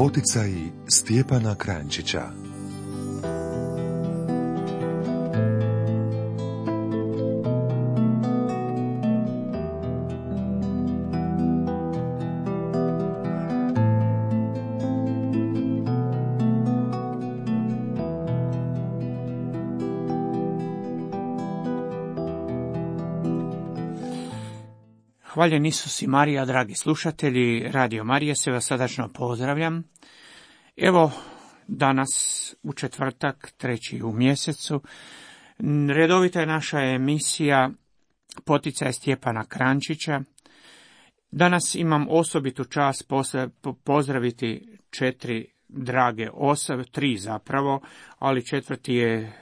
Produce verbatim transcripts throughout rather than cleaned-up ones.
Poticaji Stjepana Kranjčića. Hvaljen Isus i Marija, dragi slušatelji, Radio Marije, se vas srdačno pozdravljam. Evo, danas u četvrtak, treći u mjesecu, redovita je naša emisija Poticaj Stjepana Kranjčića. Danas imam osobitu čast pozdraviti četiri drage osobe, tri zapravo, ali četvrti je e,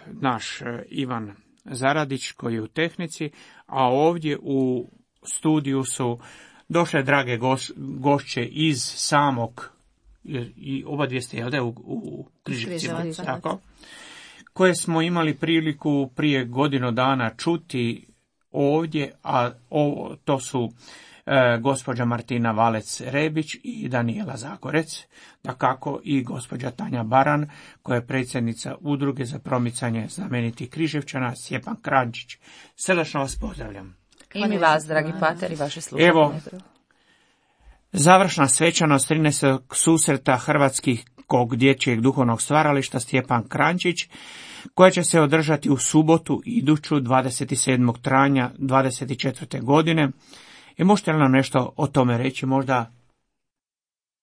naš Ivan Zaradić koji je u tehnici, a ovdje u studiju su došle drage goš, gošće iz samog, i oba dvije ste jel da, u, u Križevcima, tako, koje smo imali priliku prije godinu dana čuti ovdje, a ovo, to su e, gospođa Martina Valec-Rebić i Danijela Zagorec, dakako i gospođa Tanja Baran, koja je predsjednica Udruge za promicanje znamenitih Križevčana Stjepan Kranjčić. Srdačno vas pozdravljam. I mi vas, dragi pater, i vaše slušatelje. Evo, završna svečanost trinaestog susreta Hrvatskog dječjeg duhovnog stvarališta Stjepan Kranjčić, koja će se održati u subotu iduću dvadeset sedmog travnja dvadeset četvrte godine. I možete li nam nešto o tome reći, možda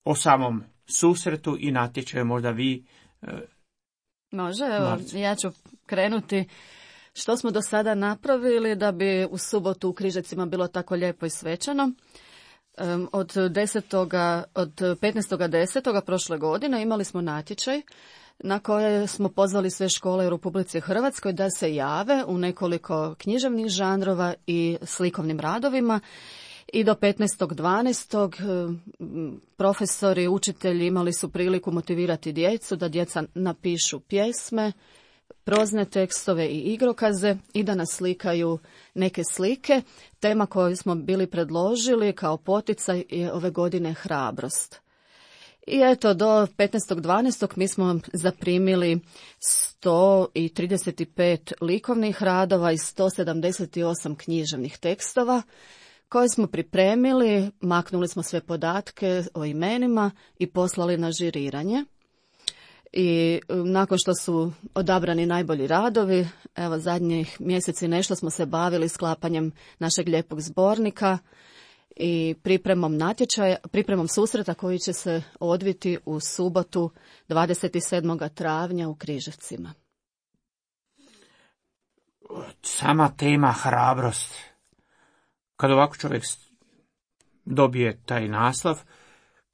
o samom susretu i natječaju, možda vi? E, Može, evo, Marci. Ja ću krenuti. Što smo do sada napravili da bi u subotu u Križevcima bilo tako lijepo i svečano? Um, od desetoga, od petnaestog desetog prošle godine imali smo natječaj na koje smo pozvali sve škole u Republici Hrvatskoj da se jave u nekoliko književnih žanrova i slikovnim radovima. I do petnaestog dvanaestog profesori, učitelji imali su priliku motivirati djecu da djeca napišu pjesme, prozne tekstove i igrokaze i da naslikaju neke slike. Tema koju smo bili predložili kao poticaj je ove godine hrabrost. I eto, do petnaestog dvanaestog mi smo zaprimili sto trideset pet likovnih radova i sto sedamdeset osam književnih tekstova koje smo pripremili, maknuli smo sve podatke o imenima i poslali na žiriranje. I nakon što su odabrani najbolji radovi, evo zadnjih mjeseci nešto smo se bavili sklapanjem našeg lijepog zbornika i pripremom natječaja, pripremom susreta koji će se odviti u subotu dvadeset sedmog travnja u Križevcima. Sama tema hrabrost. Kad ovako čovjek dobije taj naslov,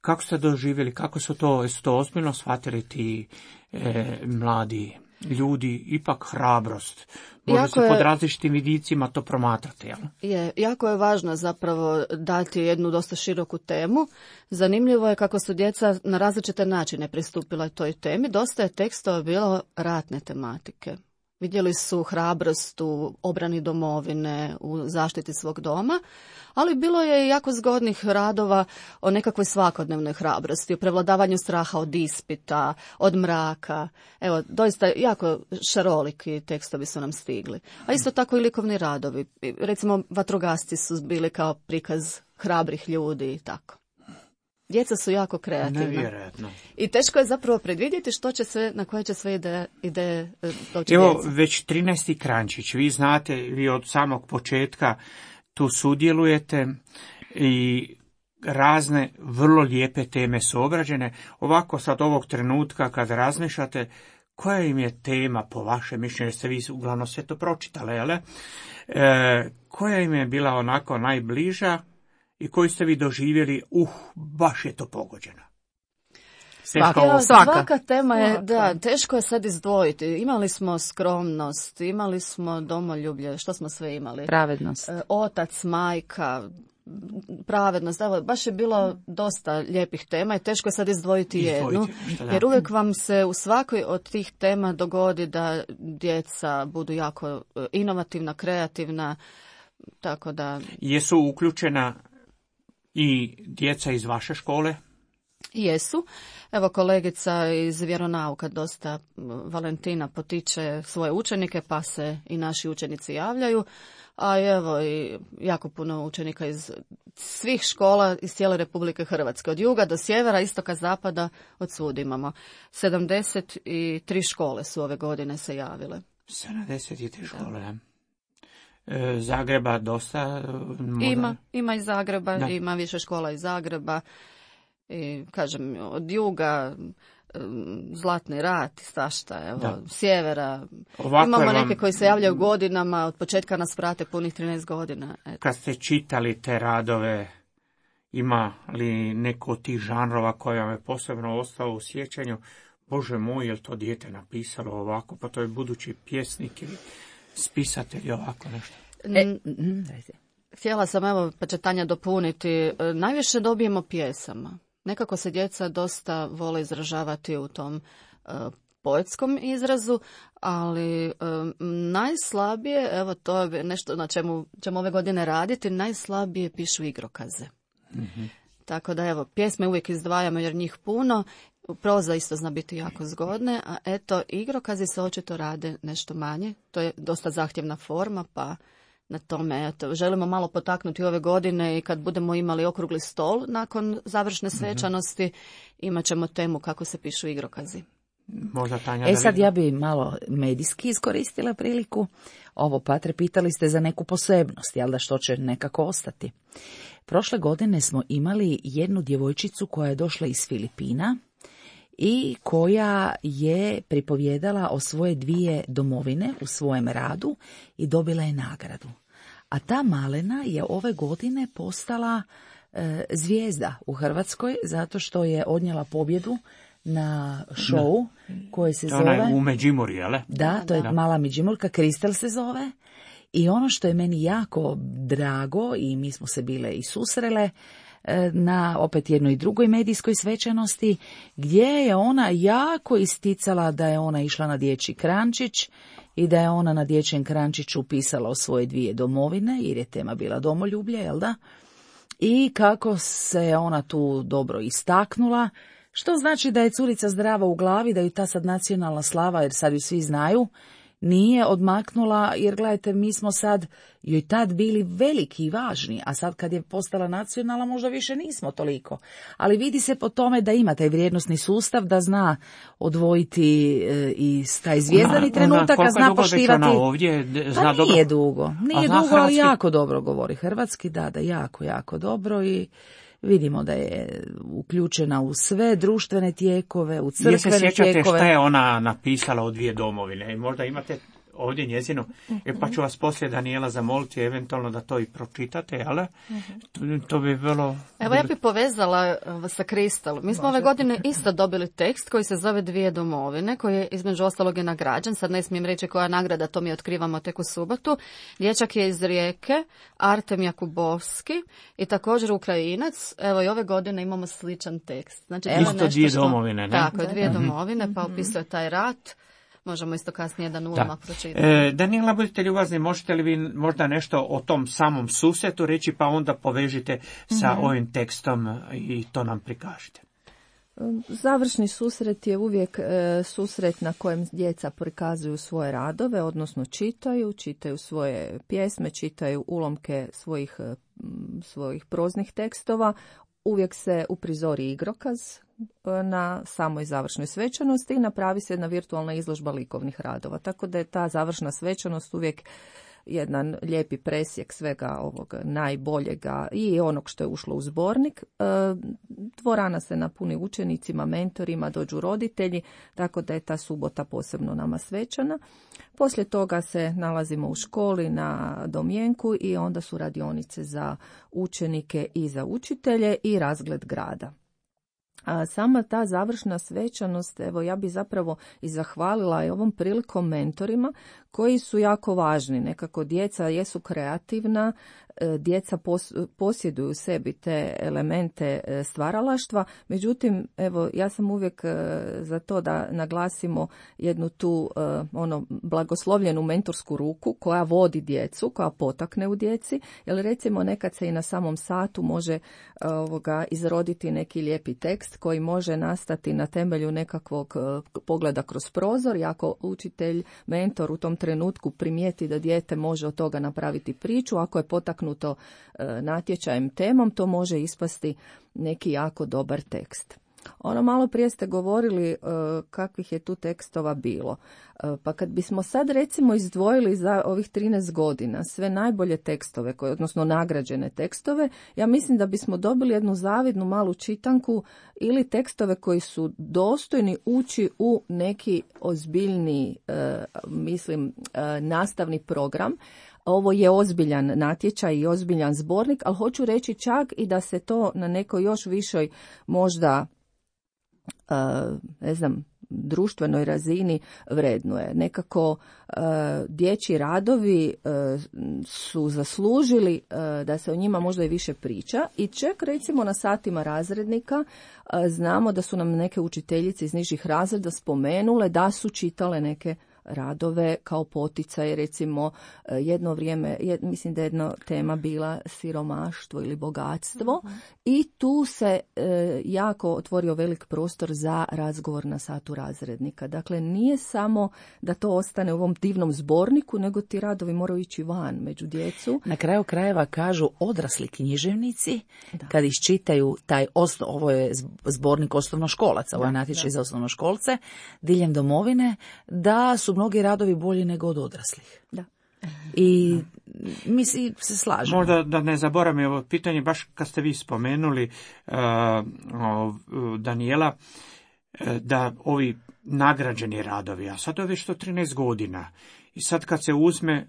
kako ste doživjeli, kako su to, su to ozbiljno shvatili ti e, mladi ljudi, ipak hrabrost. Može jako se je, pod različitim vidicima to promatrati, jel? Je, jako je važno zapravo dati jednu dosta široku temu. Zanimljivo je kako su djeca na različite načine pristupila toj temi. Dosta je tekstova bilo ratne tematike. Vidjeli su hrabrost u obrani domovine, u zaštiti svog doma, ali bilo je i jako zgodnih radova o nekakvoj svakodnevnoj hrabrosti, o prevladavanju straha od ispita, od mraka. Evo, doista jako šaroliki tekstovi su nam stigli. A isto tako i likovni radovi. Recimo, vatrogasci su bili kao prikaz hrabrih ljudi i tako. Djeca su jako kreativna. Nevjerojatno. I teško je zapravo predvidjeti što će sve, na koje će sve ideje, ideje doći Evo, djeca. već trinaesti Kranjčić, vi znate, vi od samog početka tu sudjelujete i razne vrlo lijepe teme su obrađene. Ovako sad ovog trenutka kad razmišljate, koja im je tema po vašem mišljenju, jer ste vi uglavnom sve to pročitali, jel? E, koja im je bila onako najbliža i koju ste vi doživjeli, uh, baš je to pogođeno? Svaka, svaka tema je, da, teško je sad izdvojiti. Imali smo skromnost, imali smo domoljublje, što smo sve imali? Pravednost. Otac, majka, pravednost, evo, baš je bilo dosta lijepih tema i teško je sad izdvojiti jednu, jer uvijek vam se u svakoj od tih tema dogodi da djeca budu jako inovativna, kreativna, tako da... Jesu uključena i djeca iz vaše škole? Jesu. Evo kolegica iz vjeronauka dosta Valentina potiče svoje učenike, pa se i naši učenici javljaju. A evo i jako puno učenika iz svih škola iz cijele Republike Hrvatske. Od juga do sjevera, istoka, zapada, od svud imamo. sedamdeset tri škole su ove godine se javile. sedamdeset tri škole, da. E, Zagreba dosta? Možda... Ima, ima iz Zagreba, da. Ima više škola iz Zagreba. I, kažem, od juga, Zlatni rat, svašta, evo, da. Sjevera. Ovako imamo vam... neke koji se javljaju godinama, od početka nas prate punih trinaest godina. Eto. Kad ste čitali te radove, ima li neko od tih žanrova koja vam je posebno ostalo u sjećanju? Bože moj, je li to dijete napisalo ovako, pa to je budući pjesnik ili spisatelj ovako nešto? E, Htjela sam, evo, pa će Tanja dopuniti, najviše dobijemo pjesama. Nekako se djeca dosta vole izražavati u tom uh, poetskom izrazu, ali um, najslabije, evo to je nešto na čemu ćemo ove godine raditi, najslabije pišu igrokaze. Mm-hmm. Tako da evo, pjesme uvijek izdvajamo jer njih puno, proza isto zna biti jako zgodne, a eto, igrokazi se očito rade nešto manje, to je dosta zahtjevna forma, pa... Na tome, eto, želimo malo potaknuti ove godine i kad budemo imali okrugli stol nakon završne svečanosti, mm-hmm. imat ćemo temu kako se pišu igrokazi. Možda Tanja e sad ja bi malo medijski iskoristila priliku. Ovo, Patre, pitali ste za neku posebnost, jel da, što će nekako ostati. Prošle godine smo imali jednu djevojčicu koja je došla iz Filipina i koja je pripovjedala o svoje dvije domovine u svojem radu i dobila je nagradu. A ta malena je ove godine postala e, zvijezda u Hrvatskoj zato što je odnijela pobjedu na show koje se zove... Ona je u Međimurju, jel? Da, to je da. Mala Međimurka, Kristel se zove. I ono što je meni jako drago, i mi smo se bile i susrele, na opet jednoj drugoj medijskoj svečanosti, gdje je ona jako isticala da je ona išla na dječji krančić i da je ona na dječjem krančiću pisala o svoje dvije domovine, jer je tema bila domoljublje, jel da? I kako se ona tu dobro istaknula, što znači da je curica zdrava u glavi, da ju ta sad nacionalna slava, jer sad ju svi znaju, nije odmaknula, jer gledajte, mi smo sad joj tad bili veliki i važni, a sad kad je postala nacionalna možda više nismo toliko. Ali vidi se po tome da ima taj vrijednosni sustav, da zna odvojiti e, i taj zvijezdani ona, trenutak, ona, a zna poštivati. Ona ovdje, zna pa dobro. Nije dugo, nije dugo, hrvatski... ali jako dobro govori hrvatski, da, da, jako, jako dobro i... Vidimo da je uključena u sve društvene tijekove, u crkvene tijekove. Je se sjećate šta je ona napisala o dvije domovine? Možda imate ovdje njezinu, uh-huh. e, pa ću vas poslije, Danijela, zamoliti eventualno da to i pročitate, ali uh-huh. to, to bi bilo... Evo ja bih povezala sa Kristal. Mi smo Može. ove godine isto dobili tekst koji se zove Dvije domovine, koji je između ostalog je nagrađen. Sad ne smijem reći koja nagrada, to mi otkrivamo tek u subotu. Dječak je iz Rijeke, Artem Jakubovski i također Ukrajinac. Evo i ove godine imamo sličan tekst. Znači, isto dvije što... domovine, ne? Tako, dvije uh-huh. domovine, pa opisuje taj rat. Možemo isto kasnije jedan ulomak pročitati. E, Danijela, budite ljubazni, možete li vi možda nešto o tom samom susretu reći, pa onda povežite sa mm-hmm. ovim tekstom i to nam prikažite. Završni susret je uvijek e, susret na kojem djeca prikazuju svoje radove, odnosno čitaju, čitaju svoje pjesme, čitaju ulomke svojih, svojih proznih tekstova. Uvijek se uprizori igrokaz na samoj završnoj svečanosti i napravi se jedna virtualna izložba likovnih radova. Tako da je ta završna svečanost uvijek jedan lijepi presjek svega ovog najboljega i onog što je ušlo u zbornik. Dvorana se napuni učenicima, mentorima, dođu roditelji, tako da je ta subota posebno nama svečana. Poslije toga se nalazimo u školi na domjenku i onda su radionice za učenike i za učitelje i razgled grada. A sama ta završna svečanost, evo ja bi zapravo i zahvalila i ovom prilikom mentorima koji su jako važni. Nekako djeca jesu kreativna, djeca pos, posjeduju u sebi te elemente stvaralaštva. Međutim, evo, ja sam uvijek za to da naglasimo jednu tu ono blagoslovljenu mentorsku ruku koja vodi djecu, koja potakne u djeci, jer recimo nekad se i na samom satu može ovoga izroditi neki lijepi tekst koji može nastati na temelju nekakvog pogleda kroz prozor, i ako učitelj, mentor u tom trenutku primijeti da dijete može od toga napraviti priču, ako je potaknuto e, natječajem temom, to može ispasti neki jako dobar tekst. Ono malo prije ste govorili e, kakvih je tu tekstova bilo. E, pa kad bismo sad recimo izdvojili za ovih trinaest godina sve najbolje tekstove, koje, odnosno nagrađene tekstove, ja mislim da bismo dobili jednu zavidnu malu čitanku ili tekstove koji su dostojni ući u neki ozbiljni, e, mislim, e, nastavni program. Ovo je ozbiljan natječaj i ozbiljan zbornik, ali hoću reći čak i da se to na nekoj još višoj možda Uh, ne znam, društvenoj razini vrednuje. Nekako uh, dječji radovi uh, su zaslužili uh, da se o njima možda i više priča, i čak recimo na satima razrednika uh, znamo da su nam neke učiteljice iz nižih razreda spomenule da su čitale neke radove kao poticaj, recimo jedno vrijeme, jed, mislim da je jedna tema bila siromaštvo ili bogatstvo, uh-huh. i tu se e, jako otvorio velik prostor za razgovor na satu razrednika. Dakle, nije samo da to ostane u ovom divnom zborniku, nego ti radovi moraju ići van među djecu. Na kraju krajeva kažu odrasli književnici, da. Kad iščitaju taj osnov, ovo je zbornik osnovnoškolaca, ovo je natječaj za osnovnoškolce diljem domovine, da su mnogi radovi bolji nego od odraslih. Da. I mi se slažemo. Možda da ne zaboravim ovo pitanje, baš kad ste vi spomenuli uh, uh, Danijela, uh, da ovi nagrađeni radovi, a sad je već to trinaest godina. I sad kad se uzme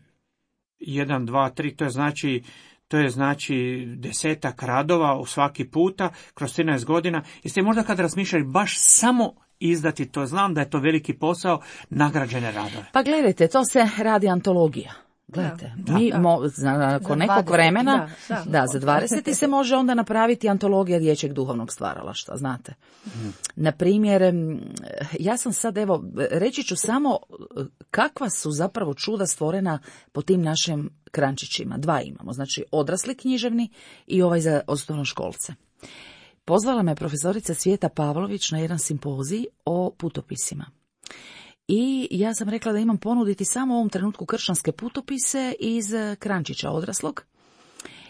jedan, dva, tri, to je znači To je znači desetak radova u svaki puta kroz trinaest godina. Jeste možda kad razmišljali baš samo izdati, to znam da je to veliki posao, nagrađene radove? Pa gledajte, to se radi antologija. Gledajte, da, mi da. Mo, nakon nekog vremena, da, da. da, za dvadeset se može onda napraviti antologija dječjeg duhovnog stvaralaštva, znate. Hmm. Na primjer, ja sam sad, evo, reći ću samo kakva su zapravo čuda stvorena po tim našim krančićima. Dva imamo, znači odrasli književni i ovaj za osnovnoškolce. Pozvala me profesorica Svijeta Pavlović na jedan simpozij o putopisima. I ja sam rekla da imam ponuditi samo u ovom trenutku kršćanske putopise iz krančića odraslog.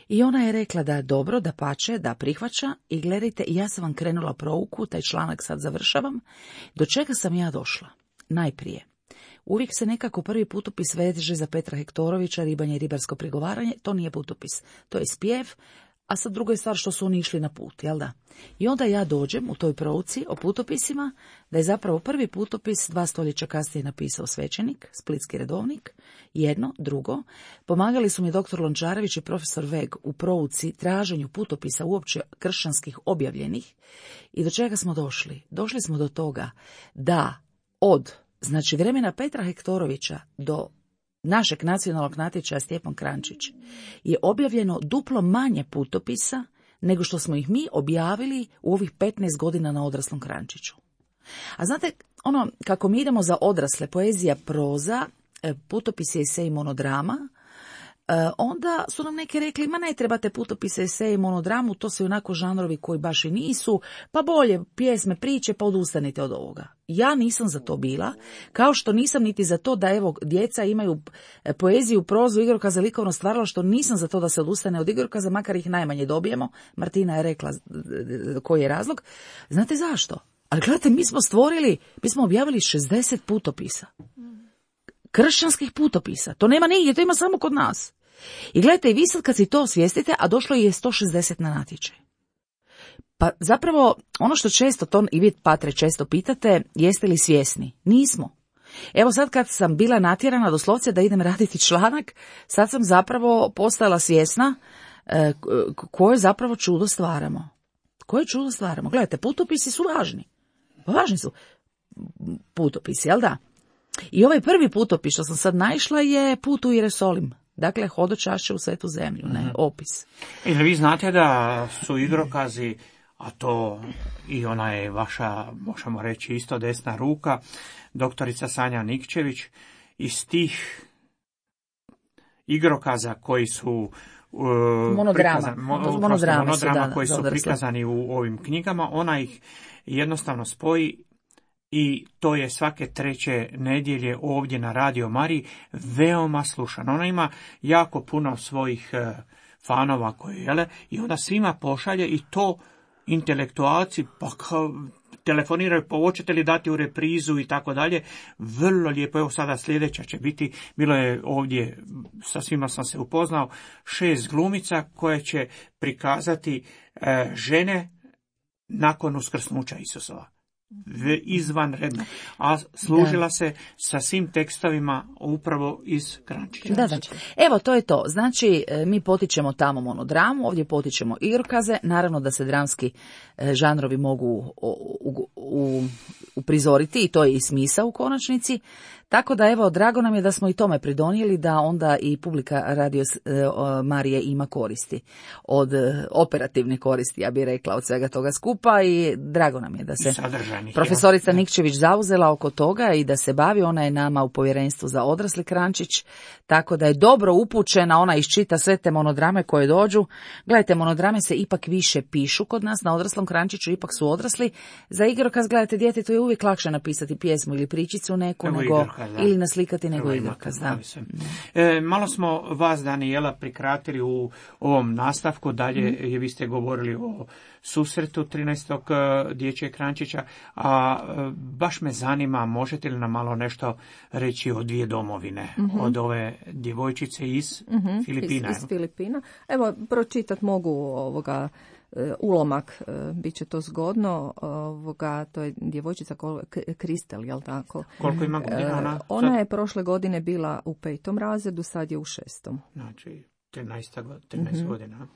I ona je rekla da je dobro, da pače, da prihvaća. I gledajte, ja sam vam krenula prouku, taj članak sad završavam. Do čega sam ja došla? Najprije, uvijek se nekako prvi putopis veže za Petra Hektorovića, Ribanje i ribarsko prigovaranje. To nije putopis, to je spjev. A sad druga je stvar što su oni išli na put, jel da? I onda ja dođem u toj prouci o putopisima, da je zapravo prvi putopis dva stoljeća kasnije napisao svećenik, splitski redovnik, jedno, drugo. Pomagali su mi doktor Lončarević i profesor Veg u prouci traženju putopisa uopće kršćanskih objavljenih. I do čega smo došli? Došli smo do toga da od, znači vremena Petra Hektorovića do našeg nacionalnog natječaja Stjepan Krančić je objavljeno duplo manje putopisa nego što smo ih mi objavili u ovih petnaest godina na odraslom Krančiću. A znate, ono, kako mi idemo za odrasle, poezija, proza, putopisi, esej, monodrama, onda su nam neki rekli, ma ne trebate putopise, esej, monodramu, to su onako žanrovi koji baš i nisu, pa bolje pjesme, priče, pa odustanite od ovoga. Ja nisam za to bila, kao što nisam niti za to da evo djeca imaju poeziju, prozu, igrokaza, likovno stvaralaštvo, nisam za to da se odustane od igrokaza, makar ih najmanje dobijemo. Martina je rekla koji je razlog. Znate zašto? Ali gledajte, mi smo stvorili, mi smo objavili šezdeset putopisa. Kršćanskih putopisa. To nema nigdje, to ima samo kod nas. I gledajte, vi sad kad si to osvijestite, a došlo je sto šezdeset na natječaj. Pa zapravo, ono što često, to i vi, Patre, često pitate, jeste li svjesni? Nismo. Evo sad kad sam bila natjerana doslovce da idem raditi članak, sad sam zapravo postala svjesna e, koje zapravo čudo stvaramo. Koje čudo stvaramo? Gledajte, putopisi su važni. Važni su putopisi, jel da? I ovaj prvi putopis što sam sad naišla je Put u Jerusalim, Dakle, hodočašće u svetu zemlju, ne, opis. I vi znate da su igrokazi, a to i ona je vaša, možemo reći, isto desna ruka, doktorica Sanja Nikčević, iz tih igrokaza koji su Uh, monodrama, prikazan, mo, monodrama, monodrama da, koji su prikazani u ovim knjigama, ona ih jednostavno spoji i to je svake treće nedjelje ovdje na Radio Mariji veoma slušano. Ona ima jako puno svojih uh, fanova koji jele i onda svima pošalje i to intelektualci pa kao telefoniraju, pa hoćete li dati u reprizu i tako dalje. Vrlo lijepo, evo sada sljedeća će biti, bilo je ovdje, sa svima sam se upoznao, šest glumica koje će prikazati e, žene nakon uskrsnuća Isusova. Izvanredno. A služila da. se sa svim tekstovima upravo iz Kranjčića. Da, da. Evo, to je to. Znači, mi potičemo tamo monodramu, ovdje potičemo igrokaze. Naravno da se dramski žanrovi mogu u, u, u, uprizoriti i to je i smisao u konačnici. Tako da, evo, drago nam je da smo i tome pridonijeli, da onda i publika Radio Marije ima koristi. Od operativne koristi, ja bih rekla, od svega toga skupa i drago nam je da se profesorica ja. Nikčević zauzela oko toga i da se bavi. Ona je nama u povjerenstvu za odrasli Kranjčić, tako da je dobro upućena, ona iščita sve te monodrame koje dođu. Gledajte, monodrame se ipak više pišu kod nas na odraslom Kranjčiću, ipak su odrasli. Za igrokaz, gledajte, djetetu je uvijek lakše napisati pjesmu ili pričicu neku, Evo nego igrokaz, ili naslikati nego Evo igrokaz. Da. E, malo smo vas, Danijela, prikratili u ovom nastavku, dalje mm. je vi ste govorili o susretu trinaestog dječjeg Kranjčića, a baš me zanima, možete li nam malo nešto reći o dvije domovine, mm-hmm. od ove djevojčice iz mm-hmm. Filipina? Iz, iz Filipina. Evo, pročitat mogu ovoga ulomak, bit će to zgodno, ovoga, to je djevojčica Kristel, jel tako? Koliko ima godina ona? Ona je prošle godine bila u petom razredu, sad je u šestom. Znači, trinaest mm-hmm. godina.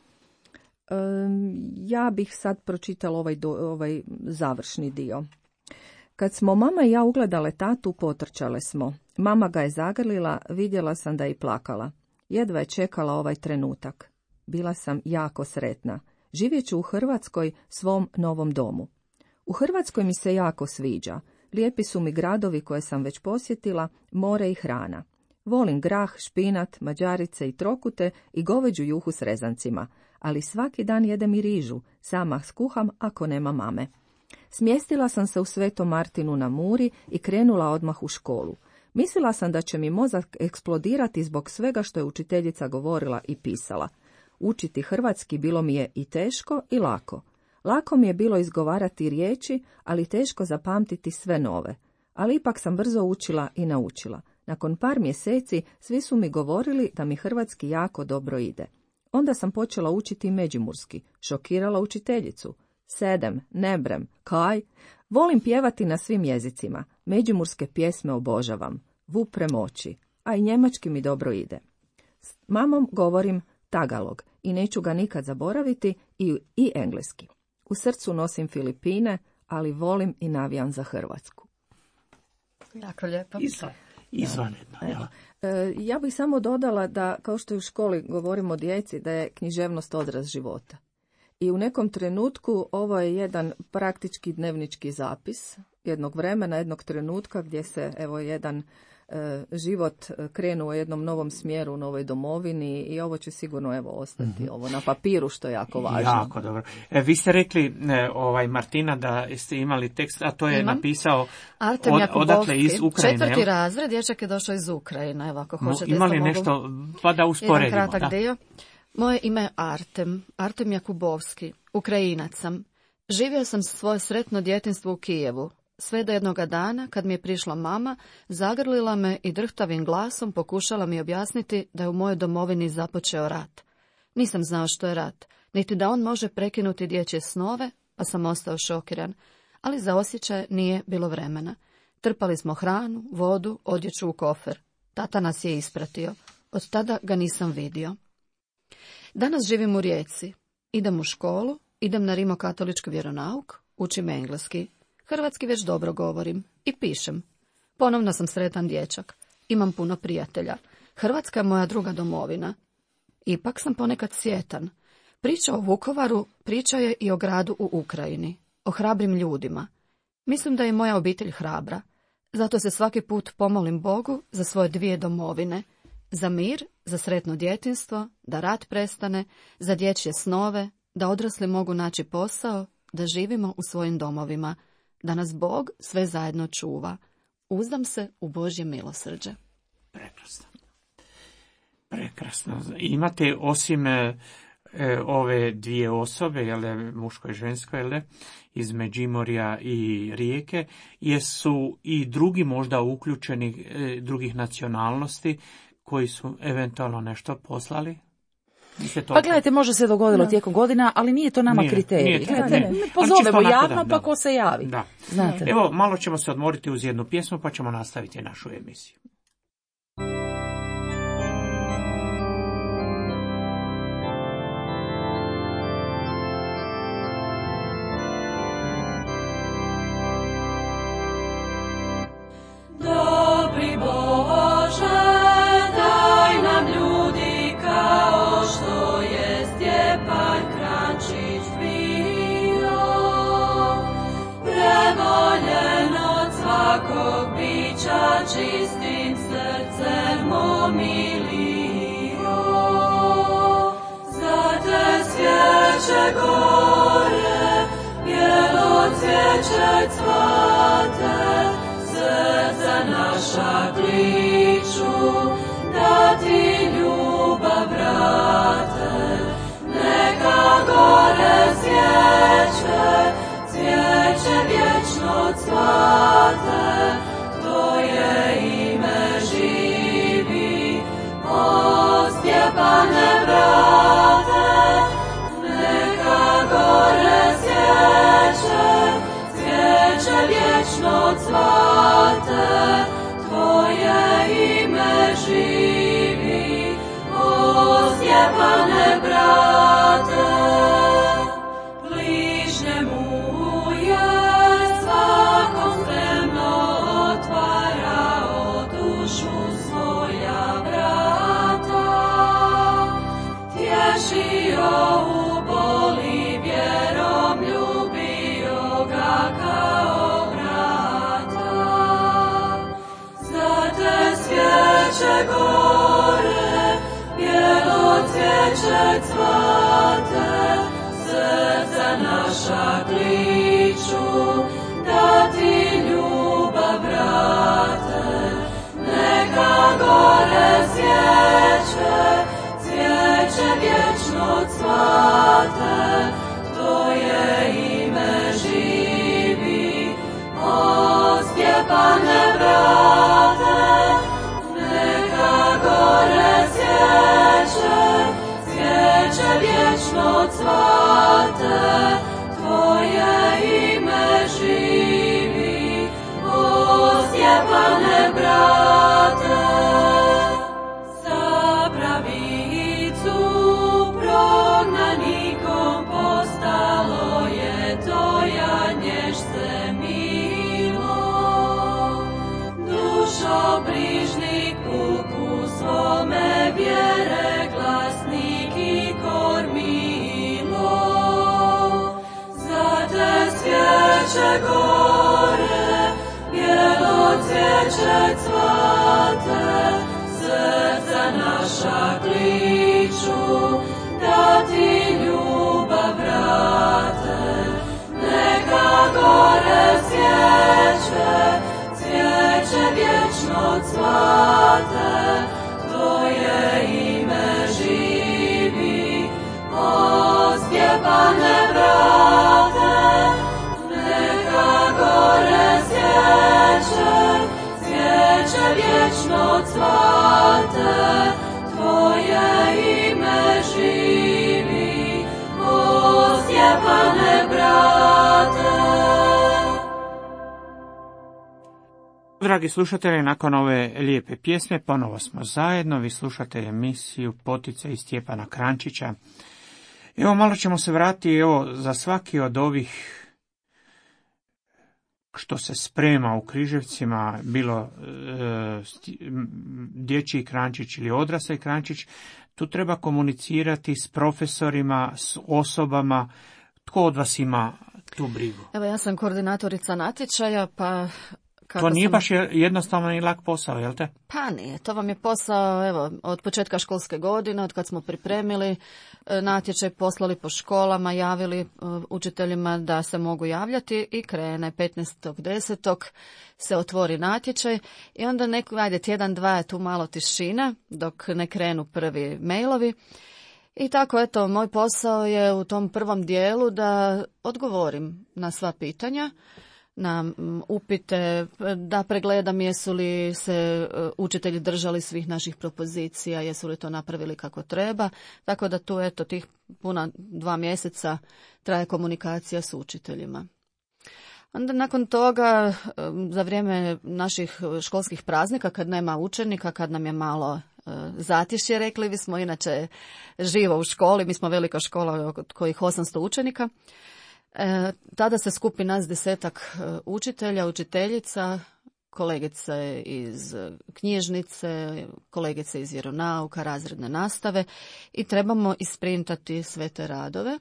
Ja bih sad pročitala ovaj, do, ovaj završni dio. Kad smo mama i ja ugledale tatu, potrčale smo. Mama ga je zagrlila, vidjela sam da je i plakala. Jedva je čekala ovaj trenutak. Bila sam jako sretna. Živjet ću u Hrvatskoj, svom novom domu. U Hrvatskoj mi se jako sviđa. Lijepi su mi gradovi koje sam već posjetila, more i hrana. Volim grah, špinat, mađarice i trokute i goveđu juhu s rezancima, ali svaki dan jedem i rižu, sama skuham ako nema mame. Smjestila sam se u Svetom Martinu na Muri i krenula odmah u školu. Mislila sam da će mi mozak eksplodirati zbog svega što je učiteljica govorila i pisala. Učiti hrvatski bilo mi je i teško i lako. Lako mi je bilo izgovarati riječi, ali teško zapamtiti sve nove. Ali ipak sam brzo učila i naučila. Nakon par mjeseci svi su mi govorili da mi hrvatski jako dobro ide. Onda sam počela učiti međimurski, šokirala učiteljicu. Sedem, nebrem, kaj? Volim pjevati na svim jezicima. Međimurske pjesme obožavam. Vuprem oči, a i njemački mi dobro ide. S mamom govorim tagalog i neću ga nikad zaboraviti i, i engleski. U srcu nosim Filipine, ali volim i navijam za Hrvatsku. Jako lijepo. Izvanredno. Ja. E, ja bih samo dodala da, kao što u školi govorimo o djeci, da je književnost odraz života. I u nekom trenutku ovo je jedan praktički dnevnički zapis jednog vremena, jednog trenutka gdje se evo jedan e, život krenuo u jednom novom smjeru u novoj domovini i ovo će sigurno evo ostati mm-hmm. ovo na papiru, što je jako važno. Jako dobro. E, vi ste rekli, e, ovaj Martina, da ste imali tekst, a to je Imam. napisao Artem od, odatle iz Ukrajine. Četvrti razred, dječak je došao iz Ukrajine, evo ako hoćete. Imali nešto, pa da usporedimo. Jedan kratak da. dio. Moje ime je Artem, Artem Jakubovski, Ukrajinac sam. Živio sam svoje sretno djetinjstvo u Kijevu. Sve do jednoga dana, kad mi je prišla mama, zagrlila me i drhtavim glasom pokušala mi objasniti da je u mojoj domovini započeo rat. Nisam znao što je rat, niti da on može prekinuti dječje snove, pa sam ostao šokiran, ali za osjećaj nije bilo vremena. Trpali smo hranu, vodu, odjeću u kofer. Tata nas je ispratio. Od tada ga nisam vidio. Danas živim u Rijeci. Idem u školu, idem na rimokatolički vjeronauk, učim engleski. Hrvatski već dobro govorim i pišem. Ponovno sam sretan dječak. Imam puno prijatelja. Hrvatska je moja druga domovina. Ipak sam ponekad sjetan. Priča o Vukovaru priča je i o gradu u Ukrajini, o hrabrim ljudima. Mislim da je moja obitelj hrabra. Zato se svaki put pomolim Bogu za svoje dvije domovine. Za mir, za sretno djetinjstvo, da rat prestane, za dječje snove, da odrasli mogu naći posao, da živimo u svojim domovima, da nas Bog sve zajedno čuva. Uzdam se u Božje milosrđe. Prekrasno. Prekrasno. Imate osim e, ove dvije osobe, jel, muško i žensko, jel, iz Međimurja i Rijeke, jesu i drugi možda uključeni e, drugih nacionalnosti koji su eventualno nešto poslali? Pa gledajte, može se dogodilo da. tijekom godina, ali nije to nama nije, kriterij. Nije, gledajte, ne. mi pozovemo javno, da, pa da. ko se javi. Da. Znate. Evo, malo ćemo se odmoriti uz jednu pjesmu, pa ćemo nastaviti našu emisiju. Dobri Bože, daj nam ljudi kao što je Stjepan Kranjčić bio, prevoljen od svakog bića, čistim srcem omilio. Za te svijeće gore, bijelo cvijeće cvate, srca naša kliču, da ti ljubav vrate. Neka gore svijeće, cvijeće vječno cvate, tvoje ime živi, o Stjepane brate. Neka gore svijeće, cvijeće vječno cvate, tvoje ime živi, o Stjepane brate. Bližnjemu je svakom spremno otvarao dušu svoja vrata, tješio u boli vjerom, ljubio ga kao brata. Za te svijeće gore, bijelo cvijeće cvate, srca naša kliču, da ti ljubav vrate. Neka gore svijeće, cvijeće vječno cvate, tvoje ime živi, o Stjepane brate. Neka gore svijeće, cvijeće vječno cvate, tvoje ime živi, o Stjepane brate. Za pravicu prognanikom postalo je to janješce milo. Dušo brižnik puku svome vjere, glasnik i kormilo. Za te svijeće gore, bijelo cvijeće cvate, srca naša kliču, da ti ljubav vrate. Neka gore svijeće, cvijeće vječno cvate, tvoje ime živi, o Stjepane brate. Neka gore svijeće, cvijeće vječno cvate, tvoje ime živi, o Stjepane brate. Dragi slušatelji, nakon ove lijepe pjesme ponovo smo zajedno. Vi slušate emisiju Potice iz Stjepana Kranjčića. Evo, malo ćemo se vratiti evo, za svaki od ovih što se sprema u Križevcima, bilo e, dječji krančić ili odrasli krančić, tu treba komunicirati s profesorima, s osobama. Tko od vas ima tu brigu? Evo, ja sam koordinatorica natječaja, pa... To nije sam... baš jednostavno i lak posao, jel te? Pa nije, to vam je posao, evo, od početka školske godine, od kad smo pripremili natječaj, poslali po školama, javili učiteljima da se mogu javljati i krene petnaestog desetog se otvori natječaj i onda neko, ajde, tjedan, dva je tu malo tišina dok ne krenu prvi mailovi. I tako, eto, moj posao je u tom prvom dijelu da odgovorim na sva pitanja, na upite, da pregledam jesu li se učitelji držali svih naših propozicija, jesu li to napravili kako treba. Tako da tu, eto, tih puna dva mjeseca traje komunikacija s učiteljima. Onda nakon toga, za vrijeme naših školskih praznika, kad nema učenika, kad nam je malo zatišje, rekli bismo, inače živo u školi, mi smo velika škola od kojih osamsto učenika, E, tada se skupi nas desetak učitelja, učiteljica, kolegice iz knjižnice, kolegice iz vjeronauka, razredne nastave i trebamo isprintati sve te radove.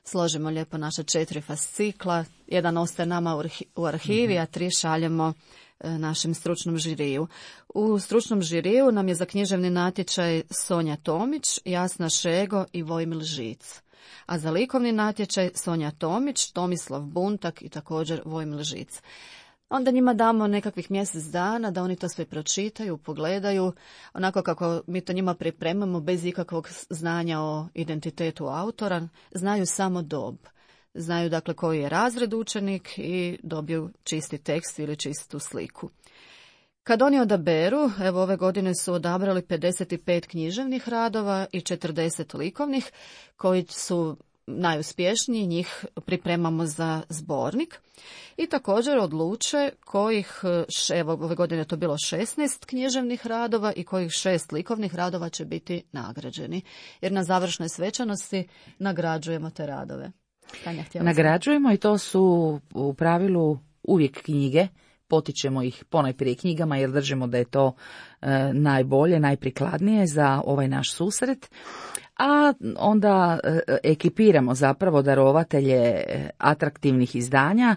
Složimo lijepo naša četiri fascikla, jedan ostaje nama u, arhi, u arhivi, a tri šaljemo e, našem stručnom žiriju. U stručnom žiriju nam je za književni natječaj Sonja Tomić, Jasna Šego i Vojmil Žic. A za likovni natječaj Sonja Tomić, Tomislav Buntak i također Vojmil Žic. Onda njima damo nekakvih mjesec dana da oni to sve pročitaju, pogledaju, onako kako mi to njima pripremamo bez ikakvog znanja o identitetu autora, znaju samo dob. Znaju dakle koji je razred učenik i dobiju čisti tekst ili čistu sliku. Kad oni odaberu, evo ove godine su odabrali pedeset pet književnih radova i četrdeset likovnih, koji su najuspješniji, njih pripremamo za zbornik. I također odluče kojih, evo ove godine je to bilo šesnaest književnih radova i kojih šest likovnih radova će biti nagrađeni. Jer na završnoj svečanosti nagrađujemo te radove. Tanja, nagrađujemo i to su u pravilu uvijek knjige. Potičemo ih ponajprije knjigama jer držimo da je to e, najbolje, najprikladnije za ovaj naš susret. A onda e, ekipiramo zapravo darovatelje atraktivnih izdanja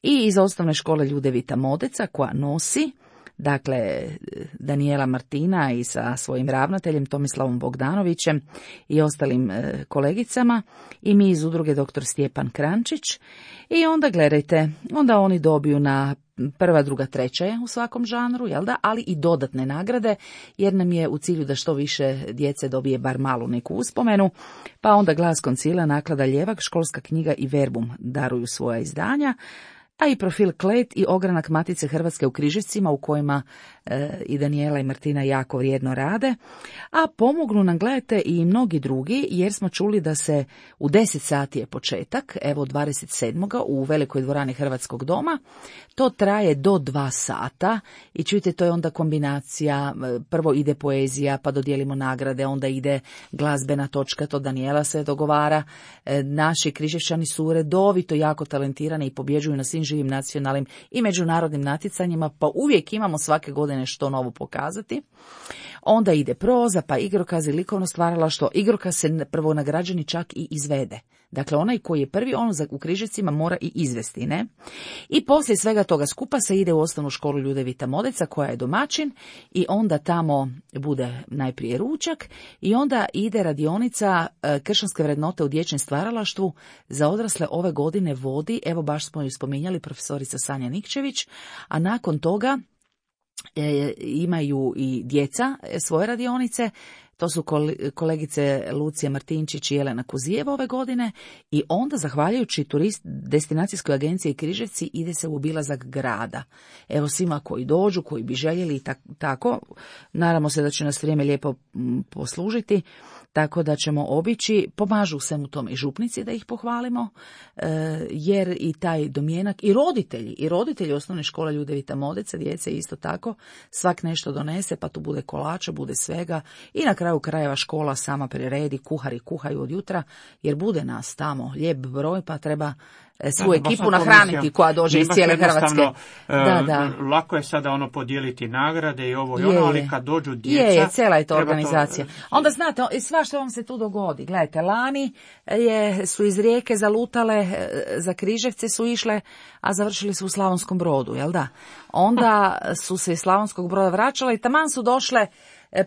i iz osnovne škole Ljudevita Modeca koja nosi, dakle, Danijela Martina i sa svojim ravnateljem Tomislavom Bogdanovićem i ostalim e, kolegicama i mi iz udruge doktor Stjepan Krančić. I onda gledajte, onda oni dobiju na prva, druga, treća je u svakom žanru, jel da, ali i dodatne nagrade, jer nam je u cilju da što više djece dobije bar malu neku uspomenu, pa onda Glas koncila, Naklada Ljevak, Školska knjiga i Verbum daruju svoja izdanja, a i Profil Klet i Ogranak Matice Hrvatske u Križevcima u kojima e, i Danijela i Martina jako vrijedno rade, a pomognu nam, gledajte, i mnogi drugi, jer smo čuli da se u deset sati je početak, evo dvadeset sedmog u velikoj dvorani Hrvatskog doma, to traje do dva sata i čujte, to je onda kombinacija, prvo ide poezija, pa dodijelimo nagrade, onda ide glazbena točka, to Danijela se dogovara, e, naši Križevčani su redovito jako talentirani i pobjeđuju na svim živim nacionalnim i međunarodnim natjecanjima, pa uvijek imamo svake godine što novo pokazati. Onda ide proza, pa igrokaz i likovno stvaralaštvo. Igrokaz se prvo nagrađeni čak i izvede. Dakle, onaj koji je prvi, on u Križevcima mora i izvesti, ne? I poslije svega toga skupa se ide u osnovnu školu Ljudevita Modeca, koja je domaćin, i onda tamo bude najprije ručak i onda ide radionica kršćanske vrednote u dječjem stvaralaštvu. Za odrasle ove godine vodi, evo baš smo ju spominjali, profesorica Sanja Nikčević, a nakon toga e, imaju i djeca svoje radionice. To su kolegice Lucija Martinčić i Jelena Kuzijeva ove godine i onda, zahvaljujući turist destinacijskoj agenciji Križevci, ide se u obilazak grada. Evo svima koji dođu, koji bi željeli i tako, nadamo se da će nas vrijeme lijepo poslužiti, tako da ćemo obići, pomažu svemu tome i župnici da ih pohvalimo, jer i taj domjenak, i roditelji, i roditelji osnovne škole Ljudevita Modeca, djece isto tako, svak nešto donese, pa tu bude kolača, bude svega i na kraju kraju krajeva škola sama priredi, kuhari kuhaju od jutra, jer bude nas tamo lijep broj, pa treba svu da, ekipu nahraniti koja dođe iz cijele Hrvatske. Da, da. Lako je sada ono podijeliti nagrade i ovo i ono, ali kad dođu djeca... Je, je, cijela je to organizacija. To... Onda znate, sva što vam se tu dogodi. Gledajte, lani je, su iz Rijeke zalutale, za Križevce su išle, a završili su u Slavonskom Brodu, jel da? Onda su se iz Slavonskog Broda vraćale i taman su došle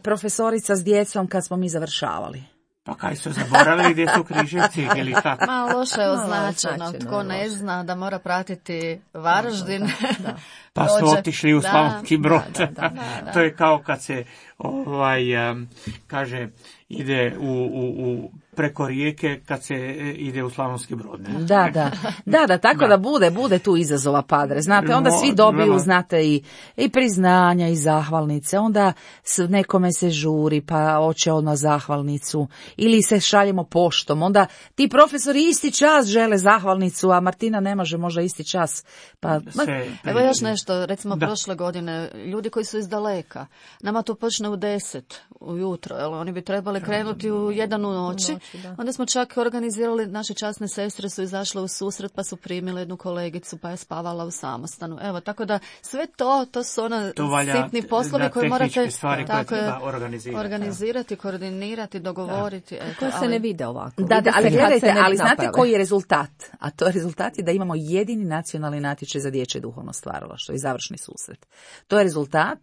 profesorica s djecom kad smo mi završavali. Pa kaj su zaboravili gdje su Križevci ili tako? Ma loše je označeno, tko ne zna da mora pratiti Varaždin. Da, da. Pa su otišli u Slavonski Brod. Da, da, da, da. To je kao kad se ovaj um, kaže ide u, u, u preko rijeke kad se ide u Slavonski Brod. Ne? Da, da. Da, da, tako da. da bude, bude tu izazova, padre. Znate, onda svi dobiju, znate, i, i priznanja i zahvalnice. Onda s nekome se žuri, pa hoće odmah zahvalnicu. Ili se šaljemo poštom. Onda ti profesori isti čas žele zahvalnicu, a Martina ne može možda isti čas. Pa, se, evo još nešto, recimo da. prošle godine, ljudi koji su iz daleka, nama to počne u deset ujutro, jel? Oni bi trebali krenuti u jedan u noći. noći Onda smo čak organizirali, naše časne sestre su izašle u susret pa su primile jednu kolegicu pa je spavala u samostanu. Evo, tako da sve to, to su ona to sitni poslovi koje morate tako koje organizirati, organizirati koordinirati, dogovoriti. Eto, koje se ali, ne vide ovako. Da, da, ali gledajte, ali znate naprave. Koji je rezultat? A to je rezultat je da imamo jedini nacionalni natječaj za dječje duhovno stvaralaštvo i završni susret. To je rezultat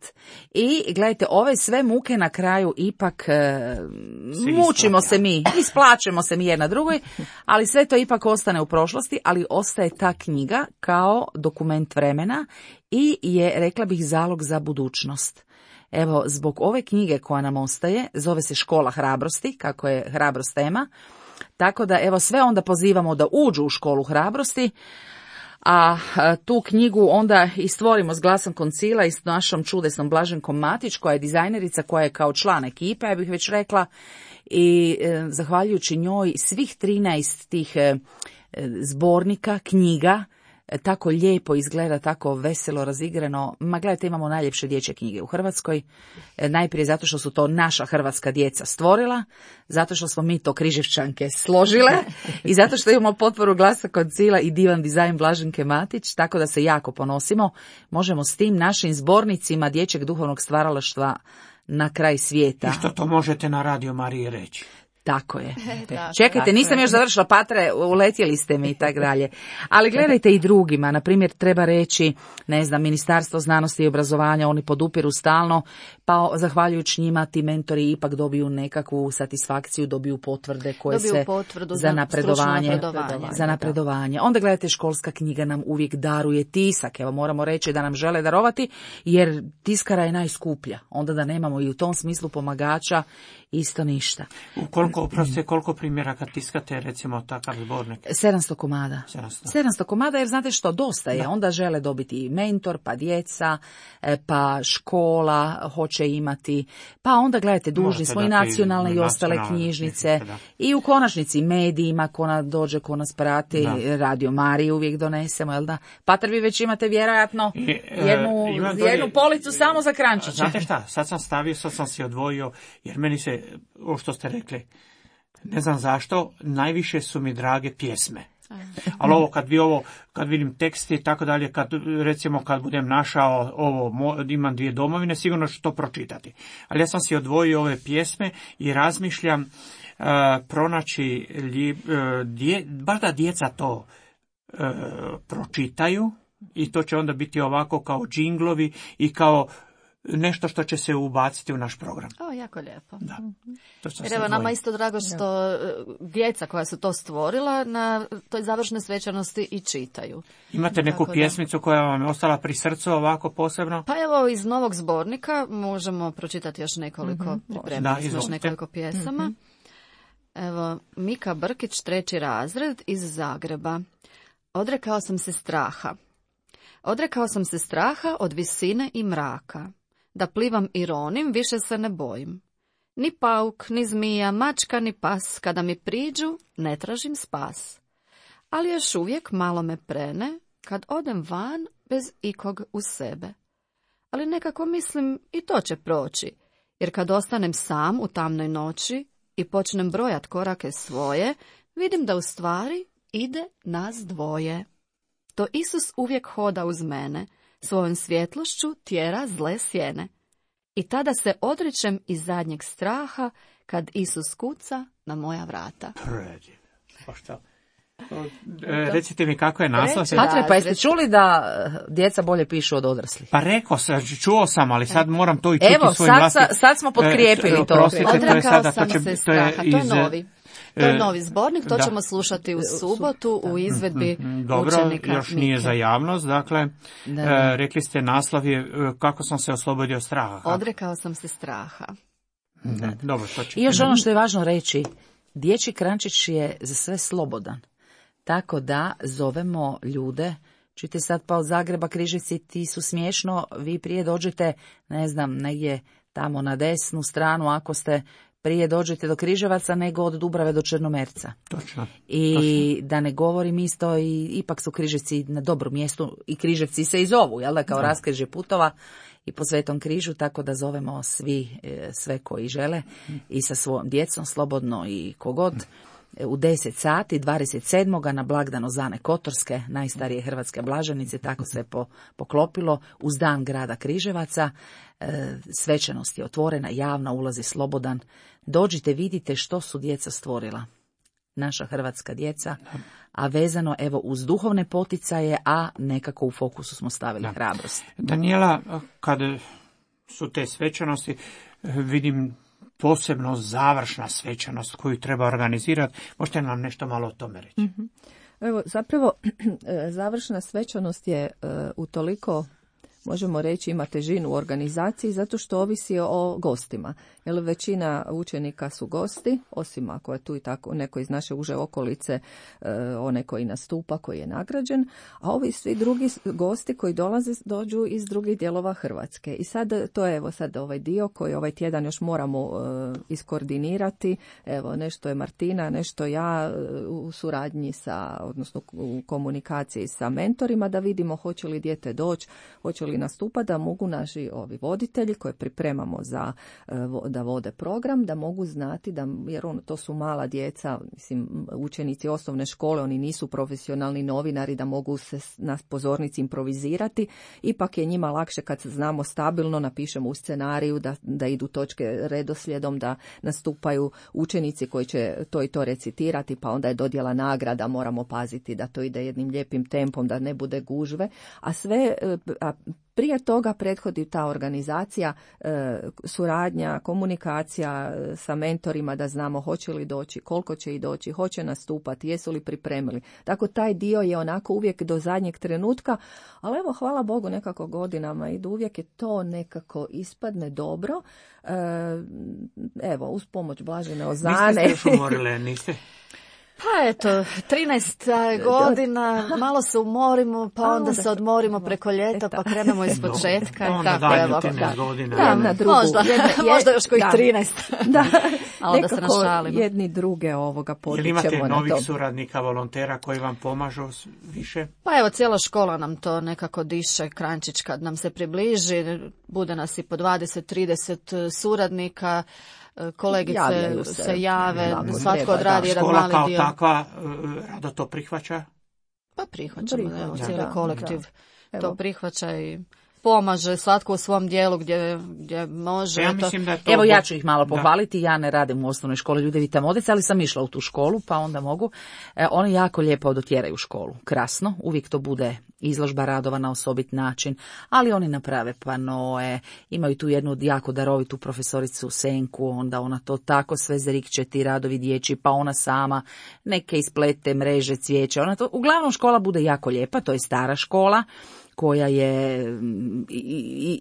i gledajte, ove sve muke na kraju ipak e, mučimo se mi, isplaćemo se mi jedna drugoj, ali sve to ipak ostane u prošlosti, ali ostaje ta knjiga kao dokument vremena i je, rekla bih, zalog za budućnost. Evo, zbog ove knjige koja nam ostaje, zove se Škola hrabrosti, kako je hrabrost tema, tako da evo sve onda pozivamo da uđu u Školu hrabrosti, a tu knjigu onda i stvorimo s glasom koncila i s našom čudesnom Blaženkom Matić, koja je dizajnerica, koja je kao član ekipe, ja bih već rekla, i e, zahvaljujući njoj svih trinaest tih e, zbornika, knjiga, e, tako lijepo izgleda, tako veselo razigrano. Ma gledajte, imamo najljepše dječje knjige u Hrvatskoj, e, najprije zato što su to naša hrvatska djeca stvorila, zato što smo mi to Križevčanke složile i zato što imamo potporu glasa koncila i divan dizajn Blaženke Matić, tako da se jako ponosimo. Možemo s tim našim zbornicima dječjeg duhovnog stvaralaštva na kraj svijeta. I što to možete na Radio Mariji reći. Tako je. Čekajte, nisam još završila, Patre, uletjeli ste mi i tako dalje. Ali gledajte i drugima, na primjer treba reći, ne znam, Ministarstvo znanosti i obrazovanja, oni podupiru stalno, pa zahvaljujući njima ti mentori ipak dobiju nekakvu satisfakciju, dobiju potvrde koje dobiju se potvrdu za napredovanje, napredovanje. za napredovanje. Onda gledajte, školska knjiga nam uvijek daruje tisak. Evo, moramo reći da nam žele darovati, jer tiskara je najskuplja. Onda da nemamo i u tom smislu pomagača, isto ništa. U koliko, oprostite, koliko primjeraka tiskate, recimo, takav zbornik? sedamsto komada. sedamsto. sedamsto komada, jer znate što, dosta je. Da. Onda žele dobiti mentor, pa djeca, pa škola hoće imati, pa onda gledajte, dužni smo i nacionalne i ostale knjižnice. Da. I u konačnici medijima, ko na, dođe, ko nas prati, da. Radio Mariji uvijek donesemo, jel da? Patar, vi već imate vjerojatno I, jednu, uh, jednu policu uh, samo za krančiće. Znate šta, sad sam stavio, sad sam si odvojio, jer meni se, ovo što ste rekli, ne znam zašto, najviše su mi drage pjesme. Ali ovo, kad vi ovo, kad vidim tekste i tako dalje, kad, recimo kad budem našao ovo, imam dvije domovine, sigurno ću to pročitati. Ali ja sam si odvojio ove pjesme i razmišljam uh, pronaći, uh, dje, baš da djeca to uh, pročitaju i to će onda biti ovako kao džinglovi i kao nešto što će se ubaciti u naš program. O, jako lijepo. Da. Jer evo, nama isto drago što djeca koja su to stvorila na toj završnoj svečanosti i čitaju. Imate neku tako pjesmicu da. koja vam je ostala pri srcu ovako posebno? Pa evo, iz novog zbornika možemo pročitati još nekoliko, mm-hmm. pripremili smo još nekoliko pjesama. Mm-hmm. Evo, Mika Brkić, treći razred iz Zagreba. Odrekao sam se straha. Odrekao sam se straha od visine i mraka. Da plivam i ronim, više se ne bojim. Ni pauk, ni zmija, mačka, ni pas, kada mi priđu, ne tražim spas. Ali još uvijek malo me prene, kad odem van bez ikog u sebe. Ali nekako mislim i to će proći, jer kad ostanem sam u tamnoj noći i počnem brojat korake svoje, vidim da u stvari ide nas dvoje. To Isus uvijek hoda uz mene, svojom svjetlošću tjera zle sjene. I tada se odričem iz zadnjeg straha, kad Isus kuca na moja vrata. Predivno. Pa šta? E, recite mi kako je naslov. Patre, pa jeste čuli da djeca bolje pišu od odraslih? Pa rekao sam, čuo sam, ali sad moram to i čuti Evo, svojim sad, vlastim. sad smo potkrijepili e, to. Prostite, to je Odrekao sada, sam to će, se to je straha, iz, to je novi. To je e, novi zbornik, to da. ćemo slušati u subotu u izvedbi Dobro, učenika još nije Mike. za javnost, dakle, Da. e, rekli ste naslov je e, kako sam se oslobodio straha. Odrekao sam se straha. Mhm, dobro, to će. I još ono što je važno reći, dječji krančić je za sve slobodan. Tako da zovemo ljude, čujte sad pa od Zagreba Križevci, ti su smiješno, vi prije dođete, ne znam, negdje tamo na desnu stranu, ako ste prije dođete do Križevaca nego od Dubrave do Črnomerca. Točno. I Točno. da ne govorim isto, i ipak su Križevci na dobrom mjestu i Križevci se i zovu, jel da, kao Da. raskrižje putova i po Svetom križu, tako da zovemo svi, e, sve koji žele i sa svojom djecom slobodno i kogod. U deset sati, dvadeset sedmog na blagdan Ozane Kotorske, najstarije hrvatske blaženice, tako se po, poklopilo, uz dan grada Križevaca. E, svečanost je otvorena, javna, ulazi slobodan. Dođite, vidite što su djeca stvorila. Naša hrvatska djeca, a vezano evo uz duhovne poticaje, a nekako u fokusu smo stavili Da. hrabrost. Daniela, kad su te svečanosti, vidim posebno završna svečanost koju treba organizirati. Možete nam nešto malo o tome reći? Mm-hmm. Evo, zapravo, završna svečanost je uh, utoliko, možemo reći, ima težinu u organizaciji zato što ovisi o gostima. Jer većina učenika su gosti, osim ako je tu i tako neko iz naše uže okolice, uh, onaj koji nastupa, koji je nagrađen, a ovi svi drugi gosti koji dolaze dođu iz drugih dijelova Hrvatske. I sad to je evo sad ovaj dio koji ovaj tjedan još moramo uh, iskoordinirati. Evo, nešto je Martina, nešto ja uh, u suradnji sa, odnosno u komunikaciji sa mentorima, da vidimo hoće li dijete doći, hoće li nastupati, da mogu naši ovi voditelji koje pripremamo za uh, da vode program, da mogu znati, da, jer on, to su mala djeca, mislim, učenici osnovne škole, oni nisu profesionalni novinari da mogu se na pozornici improvizirati, ipak je njima lakše kad znamo stabilno, napišemo u scenariju da, da idu točke redoslijedom, da nastupaju učenici koji će to i to recitirati, pa onda je dodjela nagrada, moramo paziti da to ide jednim lijepim tempom, da ne bude gužve, a sve, a prije toga prethodi ta organizacija, e, suradnja, komunikacija e, sa mentorima da znamo hoće li doći, koliko će i doći, hoće nastupati, jesu li pripremili. Tako taj dio je onako uvijek do zadnjeg trenutka, ali evo hvala Bogu nekako godinama idu, uvijek je to nekako ispadne dobro. E, evo, uz pomoć Blažene Ozane. Niste se još umorile, niste? Pa eto, trinaest godina, malo se umorimo, pa onda, onda se odmorimo preko ljeta, pa krenemo iz početka. Onda tako, dalje evo, trinaest godina. Da, na drugu. Možda, Jedna, možda još kojih da. trinaest. Da, a onda se nekako našalimo. jedni druge ovoga Jel imate potičemo na novih to. suradnika, volontera koji vam pomažu više? Pa evo, cijela škola nam to nekako diše, Krančić kad nam se približi, bude nas i po dvadeset trideset suradnika, kolegice se, se jave, svatko odradi jedan škola mali kao dio. takva rado to prihvaća? Pa prihvaćamo, Prihvaća, evo, da, cijeli da, kolektiv da. to Evo. prihvaća i pomaže svatko u svom dijelu gdje, gdje može. Ja to... mislim da je to... Evo ja ću ih malo Da. pohvaliti, ja ne radim u osnovnoj školi Ljudevi Modec, ali sam išla u tu školu, pa onda mogu. E, oni jako lijepo dotjeraju školu, krasno, uvijek to bude izložba radova na osobit način, ali oni naprave panoe, imaju tu jednu jako darovitu profesoricu Senku, onda ona to tako sve zrikće, ti radovi dječji, pa ona sama neke isplete, mreže, cvijeće, ona to, uglavnom škola bude jako lijepa, to je stara škola, koja je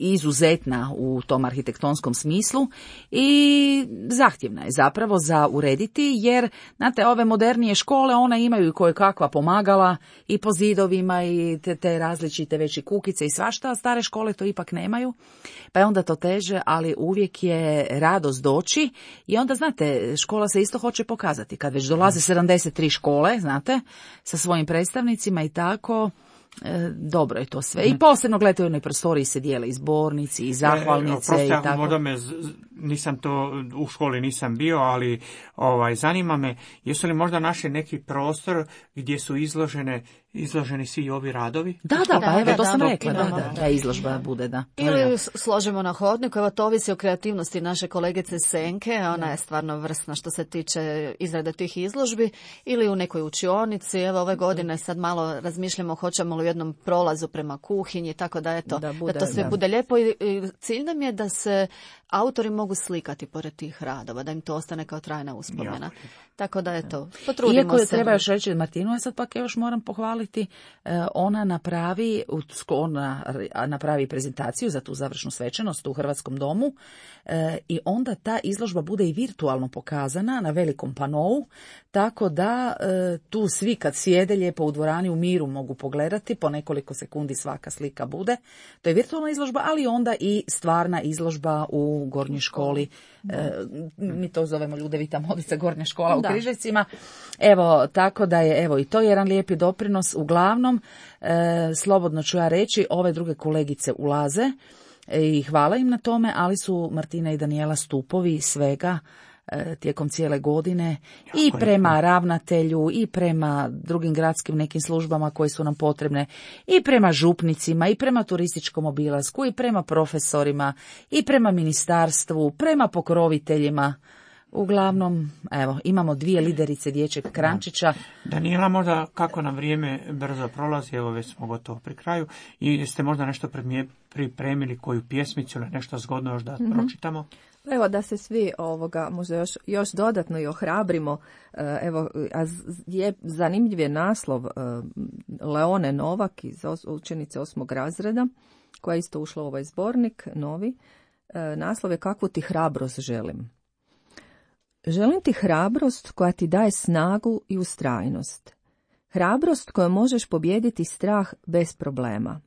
izuzetna u tom arhitektonskom smislu i zahtjevna je zapravo za urediti, jer znate, ove modernije škole, one imaju i koje kakva pomagala i po zidovima i te, te različite veće kukice i svašta, a stare škole to ipak nemaju, pa je onda to teže, ali uvijek je radost doći i onda, znate, škola se isto hoće pokazati, kad već dolaze sedamdeset tri škole, znate, sa svojim predstavnicima i tako, E, dobro je to sve. I posebno gledajte, u jednoj prostoriji se dijele i zbornici i zahvalnice e, i tako. Možda me, nisam to, u školi nisam bio, ali ovaj, zanima me, jesu li možda našli neki prostor gdje su izložene, izloženi svi ovi radovi? Da, da, pa Da, evo, da, to sam da, rekla, da, imamo, da, da. da izložba bude, da. Ili složimo na hodniku, evo to ovisi o kreativnosti naše kolegice Senke, ona je stvarno vrsna što se tiče izrade tih izložbi, ili u nekoj učionici, evo ove godine sad malo razmišljamo hoćemo li u jednom prolazu prema kuhinji, tako da eto, Da da, bude, to sve da. bude lijepo i, i cilj nam je da se autori mogu slikati pored tih radova, da im to ostane kao trajna uspomena. Tako da eto, potrudimo Iako je se. treba još reći, Martinu, ja sad pak još moram pohvaliti, eh, ona napravi, ona napravi prezentaciju za tu završnu svečanost u Hrvatskom domu eh, i onda ta izložba bude i virtualno pokazana na velikom panou, tako da eh, tu svi kad sjede lijepo u dvorani u miru mogu pogledati, po nekoliko sekundi svaka slika bude. To je virtualna izložba, ali onda i stvarna izložba u Gornjoj školi. E, mi to zovemo Ljudevita Modica Gornja škola u Da. Križevcima. Evo, tako da je, evo, i to je jedan lijepi doprinos. Uglavnom, e, slobodno ću ja reći, ove druge kolegice ulaze e, i hvala im na tome, ali su Martina i Danijela stupovi svega e, tijekom cijele godine i Jako je prema ravnatelju i prema drugim gradskim nekim službama koje su nam potrebne i prema župnicima i prema turističkom obilasku i prema profesorima i prema ministarstvu, prema pokroviteljima. Uglavnom, evo, imamo dvije liderice dječjeg krančića. Danijela, možda kako nam vrijeme brzo prolazi, evo već smo gotovo pri kraju, i jeste možda nešto premije- pripremili, koju pjesmicu ili nešto zgodno još da pročitamo? Evo da se svi ovoga možda još, još dodatno i ohrabrimo. E, Evo, a z- je zanimljiv je naslov e, Leone Novak iz os- učenice osmog razreda, koja je isto ušla u ovaj zbornik novi. E, Naslov je Kakvu ti hrabrost želim. Želim ti hrabrost koja ti daje snagu i ustrajnost. Hrabrost kojom možeš pobijediti strah bez problema.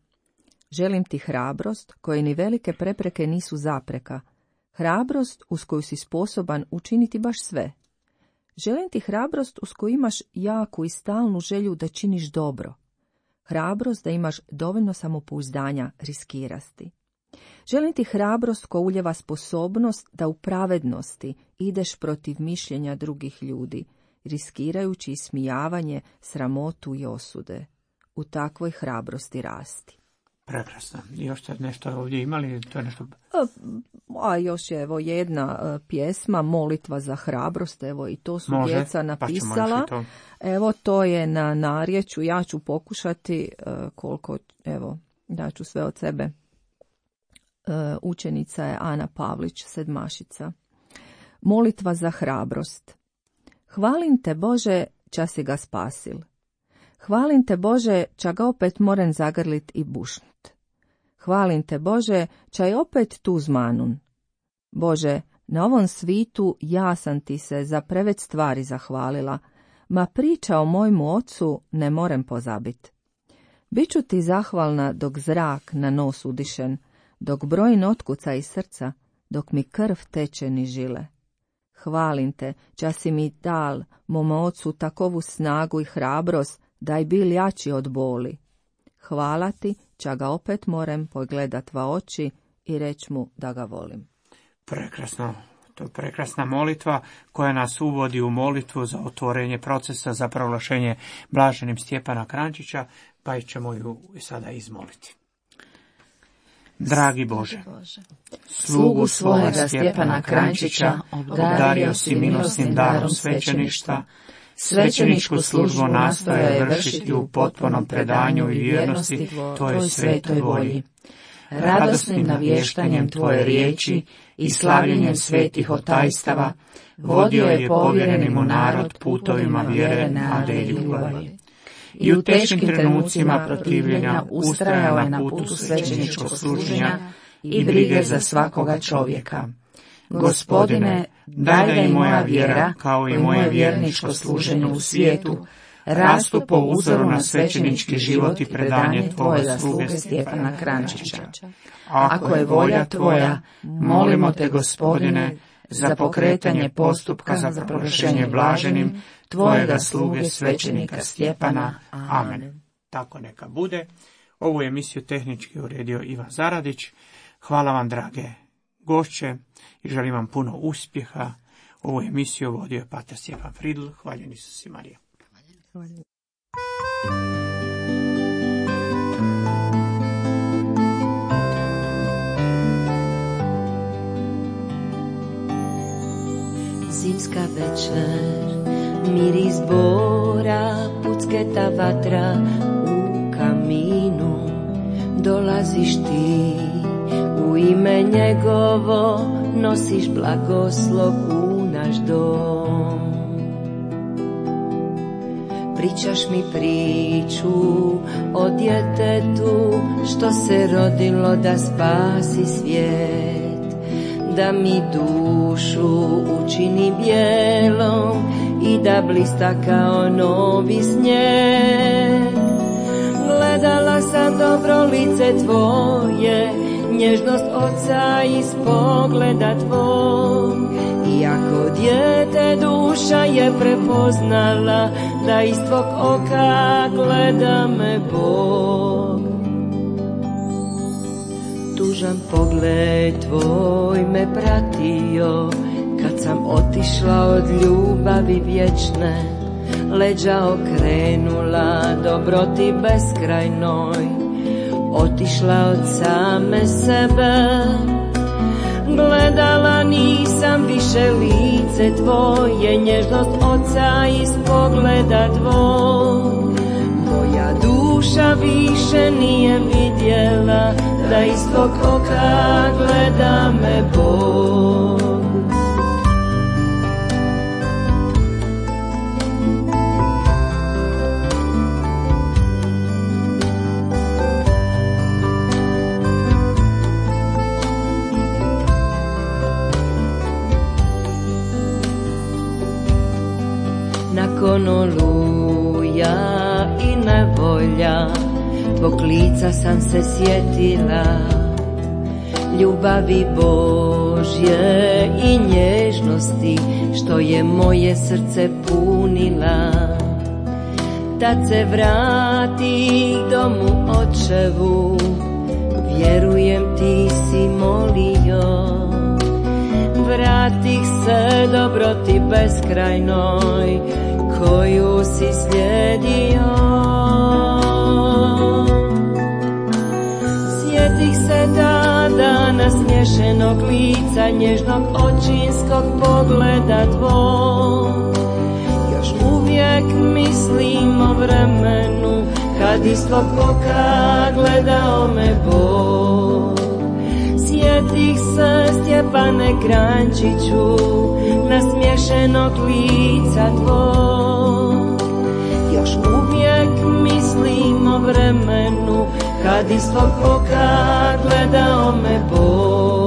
Želim ti hrabrost koje ni velike prepreke nisu zapreka. Hrabrost uz koju si sposoban učiniti baš sve. Želim ti hrabrost uz koju imaš jaku i stalnu želju da činiš dobro. Hrabrost da imaš dovoljno samopouzdanja riskirati. Želim ti hrabrost koja uljeva sposobnost da u pravednosti ideš protiv mišljenja drugih ljudi, riskirajući ismijavanje, sramotu i osude. U takvoj hrabrosti rasti. Prekrasno. I još ste nešto ovdje imali? To je nešto... A još je evo jedna e, pjesma, Molitva za hrabrost, evo i to su Može, djeca pa ćemo napisala. još i to. Evo to je na narječju, ja ću pokušati e, koliko, evo, da ću sve od sebe. E, učenica je Ana Pavlić, sedmašica. Molitva za hrabrost. Hvalim te Bože, ča si ga spasil. Hvalim te Bože, ča ga opet moren zagrlit i bušnut. Hvalim te Bože, ča je opet tu zmanun. Bože, na ovom svitu ja sam ti se za preveč stvari zahvalila, ma priča o mojmu ocu ne morem pozabit. Biću ti zahvalna dok zrak na nos udišen, dok broj otkuca iz srca, dok mi krv teče ni žile. Hvalim te, ča si mi dal, mom ocu, takovu snagu i hrabrost, da je bil jači od boli. Hvala ti, ča ga opet morem pogledat va oči i reć mu da ga volim. Prekrasno. To je prekrasna molitva koja nas uvodi u molitvu za otvorenje procesa za proglašenje blaženim Stjepana Krančića, pa ćemo ju sada izmoliti. Dragi Bože, Slugu svojega Stjepana Krančića obdario si milosnim darom svećeništva, svećeničku službu nastoja je vršiti u potpunom predanju i vjernosti Tvojoj svetoj volji. Radosnim navještanjem Tvoje riječi i slavljenjem svetih otajstava vodio je povjereni mu narod putovima vjere, nade i ljubavi. I u teškim trenucima protivljenja ustrajao je na putu svećeničkog služenja i brige za svakoga čovjeka. Gospodine, daj da i moja vjera, kao i moje vjerničko služenje u svijetu, rastu po uzoru na svećenički život i predanje Tvojega sluge Stjepana Krančića. Ako je volja Tvoja, molimo Te, Gospodine, za pokretanje postupka za proglašenje blaženim Tvojega sluge svećenika Stjepana. Amen. tako neka bude. Ovu emisiju tehnički uredio Ivan Zaradić. Hvala vam, drage gošće, i želim vam puno uspjeha. Ovu emisiju vodio je pater Stjepan Fridl. Hvaljen Isus i Marija. Hvaljen. Zimska večer, miris bora, pucketa vatra u kaminu. Dolaziš ti, u ime njegovo nosiš blagoslov u naš dom. Pričaš mi priču o djetetu što se rodilo da spasi svijet, da mi dušu učini bijelom i da blista kao novi snijeg. Gledala sam dobro lice tvoje, nježnost oca iz pogleda tvog. Iako dijete duša je prepoznala da iz tvog oka gleda me Bog. Tužan pogled tvoj me pratio kad sam otišla od ljubavi vječne, leđa okrenula dobroti beskrajnoj, otišla od same sebe. Gledala nisam više lice tvoje, nježnost oca iz pogleda tvog. Moja duša više nije vidjela da iz tvog oka gleda me Bog. Nakon oluja i nevolja, tvog lica sam se sjetila, ljubavi Božje i nježnosti što je moje srce punila. Tad se vrati domu očevu, vjerujem ti si molio. Vratih se dobroti beskrajnoj koju si slijedio. Sjetih se tada nasmiješenog lica, nježnog očinskog pogleda tvog. Još uvijek mislim o vremenu kad iz tvog oka gledao me Bog. Sjetih se Stjepane Kranjčiću, nasmiješenog lica tvog. Još uvijek mislim o vremenu kad iz tvog oka gledao me Bog.